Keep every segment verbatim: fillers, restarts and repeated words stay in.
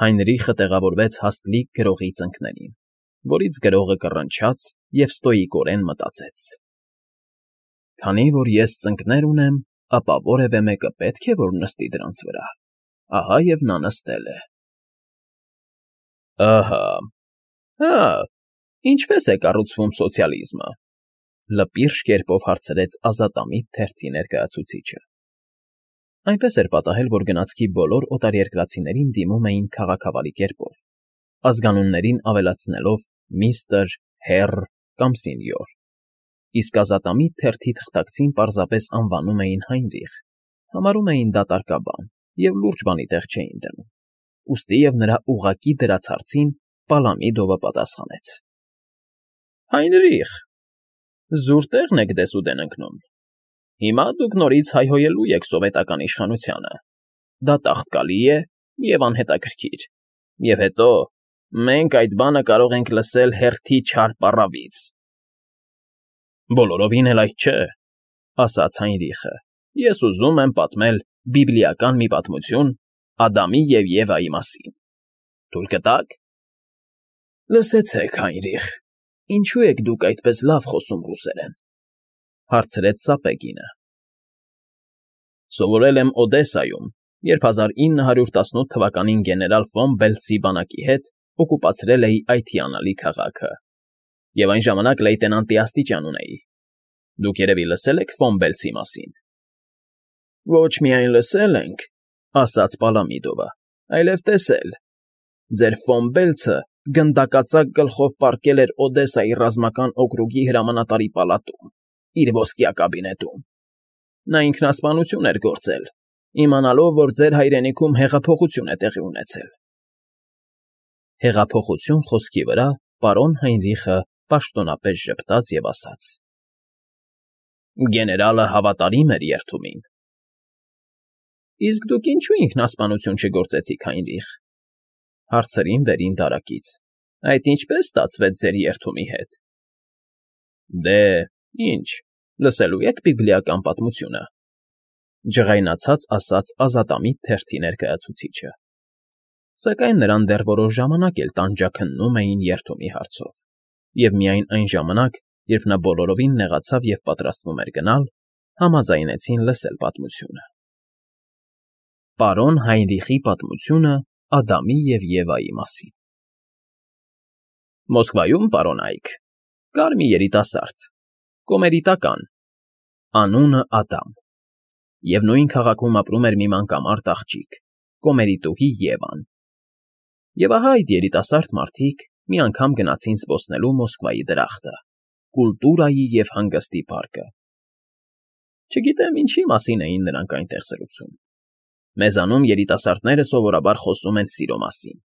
Հայնրիխը տեղավորվեց հաստլիկ գրողի ծնկներին, որից գրողը կռնչաց և ստոյիկորեն մտածեց. «Քանի որ ես ծնկներ ունեմ, ապա որևէ մեկը պետք է որ նստի դրանց վրա, ահա և նա նստել է»։ ֊ Ահա, հա, ինչպե՞ս է կառուցվում սոցիալիզմը,֊ լպիրշ կերպով հարցրեց ազատամիտ թերթի ներկայացուցիչը. այնպես էր պատահել, որ գնացքի բոլոր օտարերկրացիներին դիմում էին քաղաքավարի կերպով, ազգանուններին ավելացնելով միստր, հեռ կամ սենյոր, իսկ ազատամիտ թերթի թղթակցին պարզապես անվանում էին Հայնրիխ, համարում էին դա տարկաբան և լուրջ բանի տեղ չէին դնում, ուստի և նրա ուղղակի դրած հարցին Պալամիդովը պատասխանեց. ֊ Հայնրիխ, զուր տեղն եք դեսուդեն ընկնում, հիմա դուք նորից հայհոյելու եք սովետական իշխանությանը, դա տաղտկալի է և անհետաքրքիր, և հետո մենք այդ բանը կարող ենք լսել հերթի չար պառավից։ ֊ Բոլորովին էլ այդ չէ,֊ ասաց Հայնրիխը,֊ ես ուզում եմ պատմել բիբլիական մի պատմություն Ադամի և Եվայի մասին, թույլ կտա՞ք։ ֊ Լսեցեք, Հայնրիխ, ինչո՞ւ եք դուք այդպես լավ խոսում ռուսերեն,֊ հարցրեց Սապեգինը։ ֊ Սովորել եմ Օդեսայում, երբ հազար ինը հարյուր տասնութ թվականին գեներալ ֆոն Բելցի բանակի հետ օկուպացրել էի այդ հիանալի քաղաքը, և այն ժամանակ լեյտենանտի աստիճան ունեի։ Դուք երևի լսել եք ֆոն Բելցի մասին։ ֊ Ոչ միայն լսել ենք,֊ ասաց Պալամիդովը,֊ այլև տեսել. ձեր ֆոն Բելցը գնդակածակ գլխով պառկել էր Օդեսայի ռազմական օկրուգի հրամանատարի պալատում, իր ոսկյա կաբինետում։ Նա ինքնասպանություն էր գործել, իմանալով, որ ձեր հայրենիքում հեղափոխություն է տեղի ունեցել։ Հեղափոխություն խոսքի վրա պարոն Հայնրիխը պաշտոնապես ժպտաց և ասաց. ֊ Գեներալը հավատարիմ էր երդումին։ ֊ Իսկ դուք ինչո՞ւ ինքնասպանություն չգործեցիք, Հայնրիխ,֊ հարցրին վերին դարակից,֊ այդ ինչպե՞ս ստացվեց ձեր երդումի հետ։ ֊ Դե, ինչ, լսելու եք բիբլիական պատմությունը,֊ ջղայնացած ասաց ազատամիտ թերթի ներկայացուցիչը, սակայն նրան դեռ որոշ ժամանակ էլ տանջաքննում էին երդումի հարցով, և միայն այն ժամանակ, երբ նա բոլորովին նեղացավ և պատրաստվում էր գնալ, համաձայնեցին լսել պատմությունը։ Պարոն Հայնրիխի պատմությունը Ադամի և Եվայի մասին։ Մոսկվայում, պարոն Այք, կար մի երիտասարդ, կոմերիտական, անունը Ադամ, և նույն քաղաքում ապրում էր մի մանկամարդ աղջիկ, կոմերիտուհի Եվան։ Եվ ահա այդ երիտասարդ մարդիկ մի անգամ գնացին զբոսնելու Մոսկվայի դրախտը, կուլտուրայի և հանգստի պարկը։ Չգիտեմ ինչի մասին էին նրանք այնտեղ զրուցում։ Մեզանում երիտասարդները սովորաբար խոսում են սիրո մասին,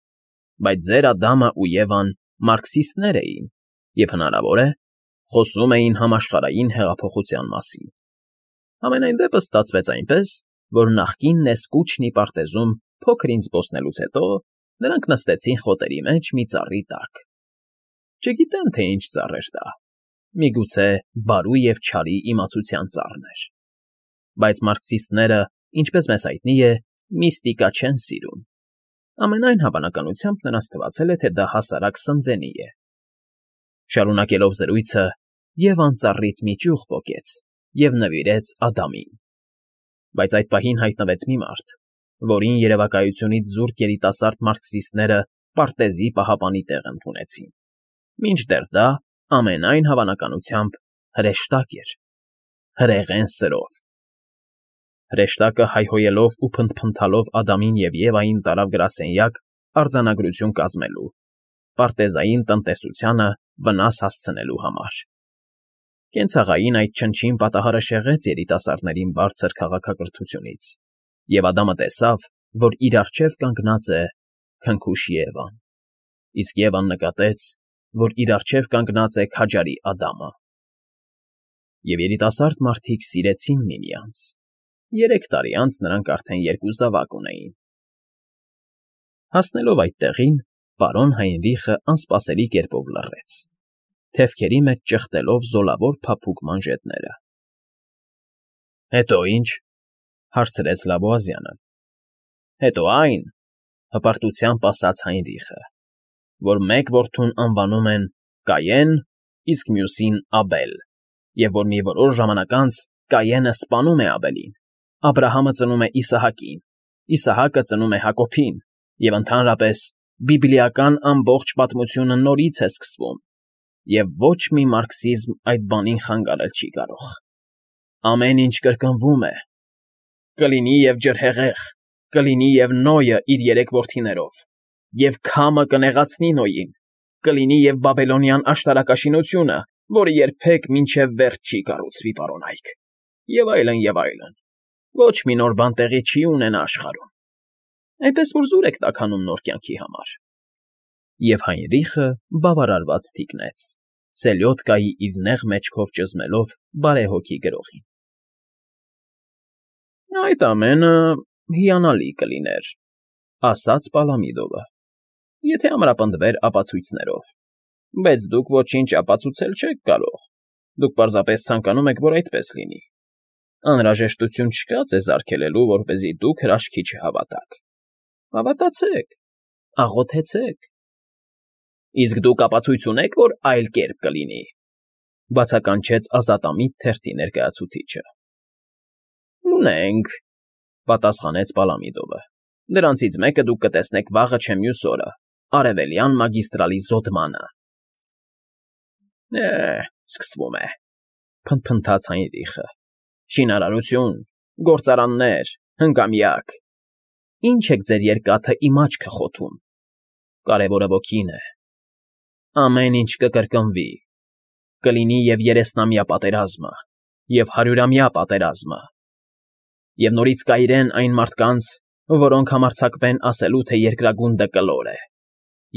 բայց ձեր Ադամը ու Եվան մարքսիստներ էին և, հնարավոր է, խոսում էին համաշխարհային հեղափոխության մասին։ Համենայն դեպս ստացվեց այնպես, որ նախկին Նեսկուչնի պարտեզում փոքր-ինչ զբոսնելուց հետո նրանք նստեցին խոտերի մեջ մի ծառի տակ։ Չգիտեմ, թե ինչ ծառ էր դա, միգուցե բարու և չարի իմացության ծառն էր։ Բայց մարքսիստները, ինչպես մեզ հայտնի է, միստիկա չեն սիրում։ Ամենայն հավանականությամբ նրանց թվացել է, թե դա հասարակ սնձենի է։ Շարունակելով զրույցը, Եվան ծառից մի ճյուղ պոկեց և նվիրեց Ադամին։ Բայց այդ պահին հայտնվեց մի մարդ, որին երևակայությունից զուրկ երիտասարդ մարքսիստները պարտեզի պահապանի տեղ ընդունեցին, մինչդեռ դա, ամենայն հավանականությամբ, հրեշտակ էր, հրեղեն սրով։ Հրեշտակը հայհոյելով ու փնթփնթալով Ադամին և Եվային տարավ գրասենյակ արձանագրություն կազմելու, պարտեզային տնտեսությանը վնաս հասցնելու համար։ Կենցաղային այդ չնչին պատահարը շեղեց երիտասարդներին բարձր քաղաքակրթությունից, և Ադամը տեսավ, որ իր առջև կանգնած է քնքուշ Եվան, իսկ Եվան նկատեց, որ իր առջև կանգնած է քաջարի Ադամը։ Եվ երիտասարդ մարդիկ սիրեցին միմյանց. երեք տարի անց նրանք արդեն երկու զավակ ունեին։ Հասնելով այդ տեղին, պարոն Հայնրիխը անսպասելի կերպով լռեց, թևքերի մեջ ճխտելով զոլավոր փափուկ մանժետները։ ֊ Հետո ի՞նչ,֊ հարցրեց Լավոազյանը։ ֊ Հետո այն, հպարտությամբ ասաց Հայնրիխը, որ մեկ որդուն անվանում են Կայեն, իսկ մյուսին Աբել, և որ մի որոշ ժամանակ անց Կայենը սպանում է Աբելին, Աբրահամը ծնում է Իսահակին, Իսահակը ծնում է Հակոբին, և ընդհանրապես բիբլիական ամբողջ պատմությունը նորից է սկսվում, և ոչ մի մարքսիզմ այդ բանին խանգարել չի կարող։ Ամեն ինչ կրկնվում է. կլինի և ջրհեղեղ, կլինի և Նոյը իր երեք որդիներով, և քամը կնեղացնի Նոյին, կլինի և Բաբելոնյան աշտարակաշինությունը, որը երբեք մինչև վերջ չի կառուցվի, պարոնայք, և այլն, և այլն, ոչ մի նոր բան տեղի չի ունենա աշխարհում, այնպես որ զուր եք տաքանում նոր կյանքի համար։ Եվ Հայնրիխը բավարարված թիկնեց, սելյոդկայի իր նեղ մեջքով ճզմելով բարեհոգի գրողին։ Այդ ամենը հիանալի կլիներ, ասաց Պալամիդովը, եթե ամրապնդվեր ապացույցներով, բայց դուք ոչինչ ապացուցել չեք կարող, դուք պարզապես ցանկանում եք, որ այդպես լինի, անհրաժեշտություն չկա ձեզ արգելելու, որպեսզի դուք հրաշքի չհավատաք, հավատացեք, աղոթեցեք։ Իսկ դուք ապացույց ունե՞ք, որ այլ կերպ կլինի, բացականչեց ազատամիտ թերթի ներկայացուցիչը։ Ունենք, պատասխանեց Պալամիդովը, դրանցից մեկը դուք կտեսնեք վաղը չէ մյուս օրը, արևելյան մագիստրալի զոդմանը։ Է, սկսվում է, փնթփնթաց Հայնրիխը, շինարարություն, գործարաններ, հնգամյակ, ինչ եք ձեր երկաթը իմ աչքը խոթում, կարևորը ոգին է, ամեն ինչ կկրկնվի, կլինի և երեսնամյա պատերազմը, և հարյուրամյա պատերազմը, և նորից կայրեն այն մարդկանց, որոնք համարձակվեն ասելու, թե երկրագունդը կլոր է,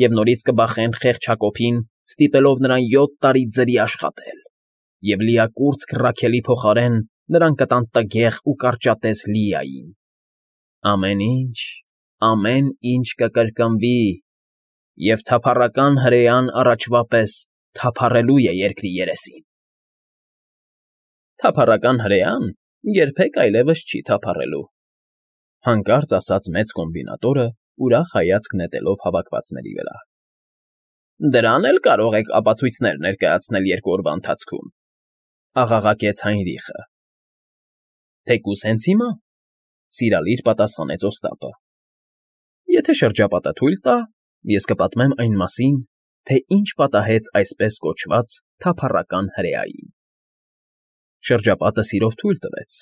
և նորից կբախեն խեղճ Հակոբին, ստիպելով նրան յոթ տարի ձրի աշխատել, և լիակուրծք Ռաքելի փոխարեն նրան կտան տգեղ ու կարճատև Լիային։ Ամեն ինչ, ամեն ինչ կկրկնվի, և թափառական հրեան առաջվա պես թափառելու է երկրի երեսին։ Թափառական հրեան երբեք այլևս չի թափառելու, հանկարծ ասաց մեծ կոմբինատորը, ուրախ հայացք նետելով հավաքվածների վրա։ Դրան էլ կարող եք ապացույցներ ներկայացնել երկու օրվա ընթացքում, աղաղակեց Հայնրիխը։ Թեկուզ հենց հիմա, սիրալիր պատասխանեց Օստապը։ Եթե շրջապատը թույլ տա, ես կպատմեմ այն մասին, թե ինչ պատահեց այսպես կոչված թափառական հրեային։ Շրջապատը սիրով թույլ տվեց։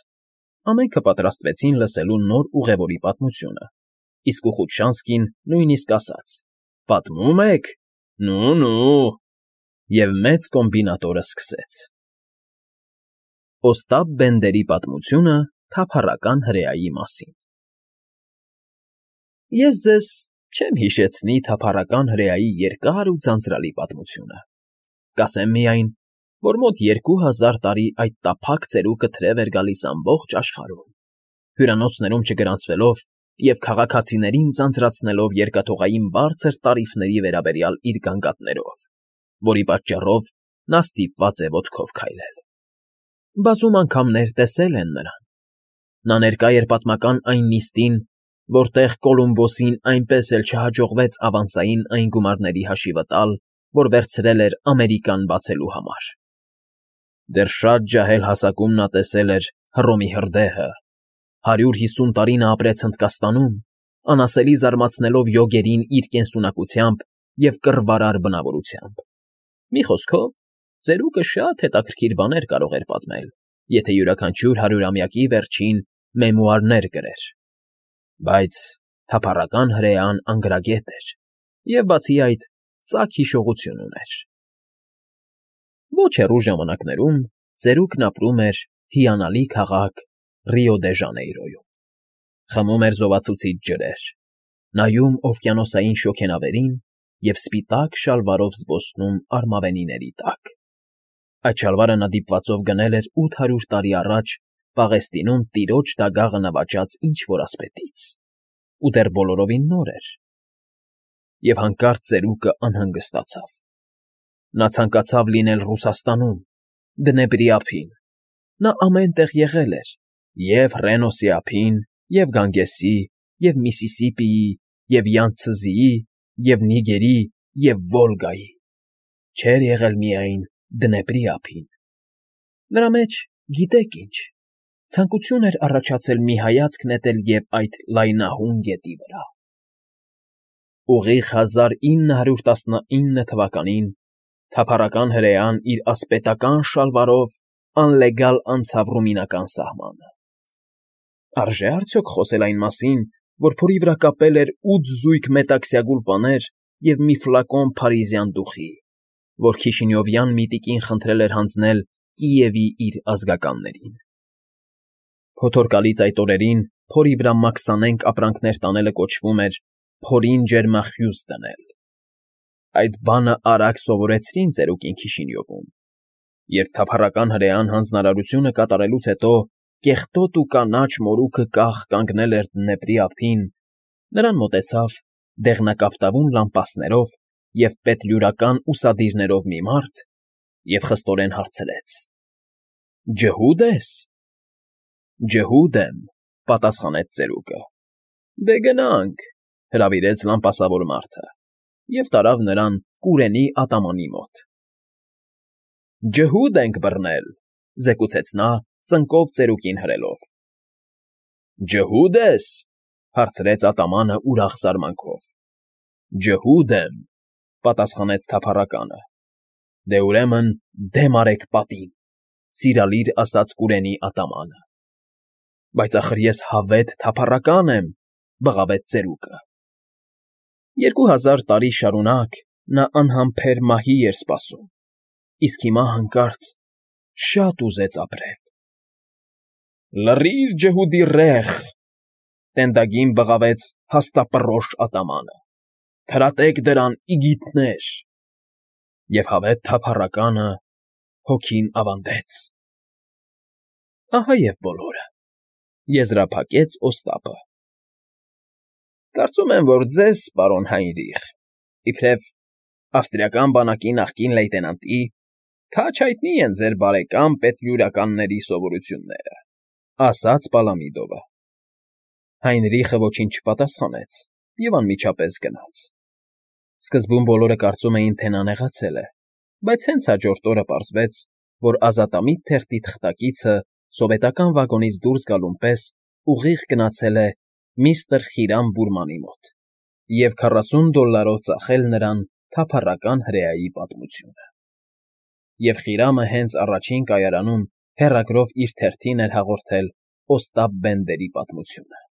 Ամենքը պատրաստվեցին լսելու նոր ուղևորի պատմությունը, իսկ Ուխուտշանսկին նույնիսկ ասաց. «Պատմում եք, նու֊նու», և մեծ կոմբինատորը սկսեց. Օստապ Բենդերի պատմությունը թափառական հրեայի մասին։ Ես ձեզ չեմ հիշեցնի թափառական հրեայի երկար ու ձանձրալի պատմությունը, կասեմ միայն, որ մոտ երկու հազար տարի այդ տափակ ծերուկը թրև էր գալիս ամբողջ աշխարհում, հյուրանոցներում չգրանցվելով և քաղաքացիներին ձանձրացնելով երկաթուղային բարձր տարիֆների վերաբերյալ իր գանգատներով, որի պատճառով նա ստիպված է ոտքով քայլել։ Բազում անգամներ տեսել են նրան։ Նա ներկա էր պատմական այն նիստին, որտեղ Կոլումբոսին այնպես էլ չհաջողվեց ավանսային այն գումարների հաշիվը տալ, որ վերցրել էր Ամերիկան բացելու համար։ Դեռ շատ ջահել հասակում նա տեսել էր Հռոմի հրդեհը, հարյուր հիսուն տարի նա ապրեց Հնդկաստանում, անասելի զարմացնելով յոգերին իր կենսունակությամբ և կռվարար բնավորությամբ։ Մի խոսքով, ծերուկը շատ հետաքրքիր բաներ կարող էր պատմել, եթե յուրաքանչյուր հարյուրամյակի վերջին մեմուարներ գրեր, բայց թափառական հրեան անգրագետ էր և, բացի այդ, ծակ հիշողություն ուներ։ Ոչ հեռու ժամանակներում ծերուկն ապրում էր հիանալի քաղաք Ռիո դե Ժանեյրոյում, խմում էր զովացուցիչ ջրեր, նայում օվկիանոսային շոգենավերին և սպիտակ շալվարով զբոսնում արմավենիների տակ։ Այդ շալվարը նա դիպվածով գնել էր ութ հարյուր տարի առաջ Պաղեստինում տիրոջ դագաղը նվաճած ինչ֊որ ասպետից, ու դեռ բոլորովին նոր էր։ Եվ հանկարծ ծերուկը անհանգստացավ։ Նա ցանկացավ լինել Ռուսաստանում, Դնեպրի ափին, նա ամեն տեղ եղել էր, և Ռենոսի ափին, և Գանգեսի, և Միսիսիպիի, և Յանցզիի, և Նիգերի, և Վոլգայի, չէր եղել միայն Դնեպրի ափին. նրա մեջ, գիտեք ինչ, ցանկություն էր առաջացել մի հայացք նետել և այդ լայնահուն գետի վրա… Ուղիղ հազար ինը հարյուր տասնինը թվականին թափառական հրեան իր ասպետական շալվարով անլեգալ անցավ ռումինական սահմանը… Արժե՞ արդյոք խոսել այն մասին, որ փորի վրա կապել էր ութ զույգ մետաքսյա գուլպաներ և մի ֆլակոն փարիզյան դուխի, որ Քիշինյովյան միտիկին խնդրել էր հանձնել Կիևի իր ազգականներին… Փոթորկալից այդ օրերին փորի վրա մաքսանենգ ապրանքներ տանելը կոչվում էր «փորին ջերմախյուս դնել»… Այդ բանը արագ սովորեցրին ծերուկին Քիշինյովում, երբ թափառական հրեան հանձնարարությունը կատարելուց հետո կեղտոտ ու կանաչ մորուքը կախ կանգնել էր Դնեպրի ափին, նրան մոտեցավ դեղնակապտավուն լամպասներով և պետլյուրական ուսադիրներով մի մարդ և խստորեն հարցրեց. ֊ Ջհուդ ես։ ֊ Ջհուդ եմ,֊ պատասխանեց ծերուկը։ ֊ Դե գնանք,֊ հրավիրեց լամպասավոր մարդը և տարավ նրան կուրենի ատամանի մոտ։ ֊ Ջհուդ ենք բռնել,֊ զեկուցեց նա՝ ծնկով ծերուկին հրելով։ ֊ Ջհուդ ես,֊ հարցրեց ատամանը ուրախ զարմանքով։ ֊ Ջհուդ եմ,֊ պատասխանեց թափառականը։ ֊ Դե ուրեմն դեմ արեք պատին,֊ սիրալիր ասաց կուրենի ատամանը։ ֊ Բայց ախր ես հավետ թափառական եմ,֊ բղավեց ծերուկը։ Երկու հազար տարի շարունակ նա անհամբեր մահի էր սպասում, իսկ հիմա հանկարծ շատ ուզեց ապրել։ ֊ Լռի՛ր, ջհուդի ռեխ,֊ տենդագին բղավեց հաստապռոշ ատամանը,֊ թրատեք դրան, իգիթներ… Եվ հավետ թափառականը հոգին ավանդեց։ ֊ Ահա և բոլորը,֊ եզրափակեց Օստապը։ ֊ Կարծում եմ, որ ձեզ, պարոն Հայնրիխ, իբրև ավստրիական բանակի նախկին լեյտենանտի, քաջ հայտնի են ձեր բարեկամ պետլյուրականների սովորությունները,֊ ասաց Պալամիդովը։ Հայնրիխը ոչինչ չպատասխանեց և անմիջապես գնաց… Սկզբում բոլորը կարծում էին, թե նա նեղացել է, բայց հենց հաջորդ օրը պարզվեց, որ ազատամիտ թերթի թղթակիցը սովետական վագոնից դուրս գալուն պես ուղիղ գնացել է միստր Խիրամ Բուրմանի մոտ և քառասուն դոլլարով ծախել նրան թափառական հրեայի պատմությունը… Եվ Խիրամը հենց առաջին կայարանում հեռագրով իր թերթին էր հաղորդել Օստապ Բենդերի պատմությունը։